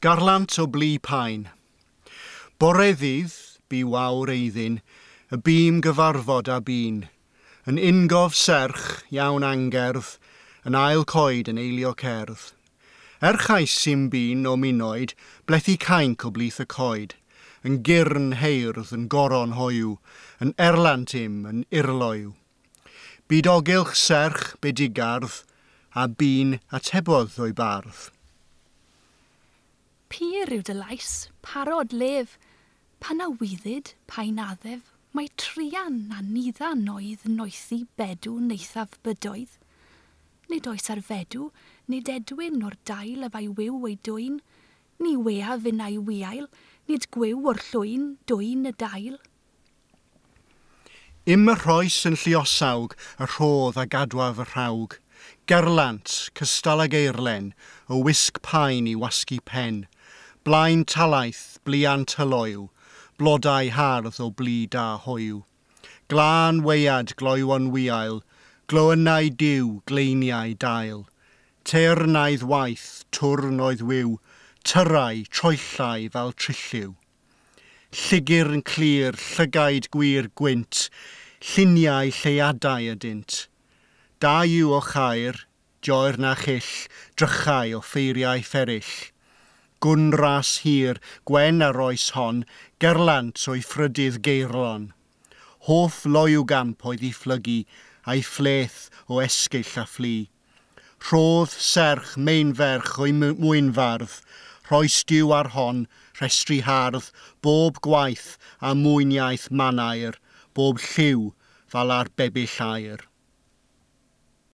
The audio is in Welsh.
Garlant o blu paen. Bore ddydd, bu wawr eiddin, y bîm gyfarfod a bîn. Yn ungof serch, iawn angerdd, yn ail coed yn eilio cerdd. Erchais sy'n bîn o minoed, blethu cainc o blith y coed. Yn gyrn heirdd, yn goron hoiw, yn erlant im, yn irloiw. Byd ogylch serch, bedigardd, a bîn atebodd o'i bardd. Pur yw dy lais, parod lef, pan awyddid, pa'n addef, mae trian a niddan oedd noethi bedw neithaf bydoedd. Nid oes ar fedw, nid edwyn o'r dail a fai wiw ei dwyn, ni wea finnau wiail, nid gwyw o'r llwyn, dwyn y dail. Im y rhoes yn lluosawg, y rhodd a gadwaf y rhawg. Gerlant, cystal ag eirlen, o wisg paen i wasgu pen. Blaen talaith, blian tyloyw, blodau hardd o blu da hoyw. Glân weiad gloywon wiail, gloynnau diw, gleiniau dail. Teyrnaidd waith, twrn oedd wiw, tyrau, troellau fel trilliw. Lligyrn clir, llygaid gwir gwynt, lluniau lleiadau ydynt. Da yw o chair, joer na chyll, drychau o ffeiriau fferyll. Gwn ras hir, gwen ar oes hon, gerlant o'i phrydydd geirlon. Hoff loyw gamp oedd i phlygu, a'i phleth o esgyll a phlu. Rhodd serch meinferch o'i mwynfardd, rhoes diw ar hon, rhestru hardd, bob gwaith a mwyniaeth manair, bob lliw fel ar bebyll aer.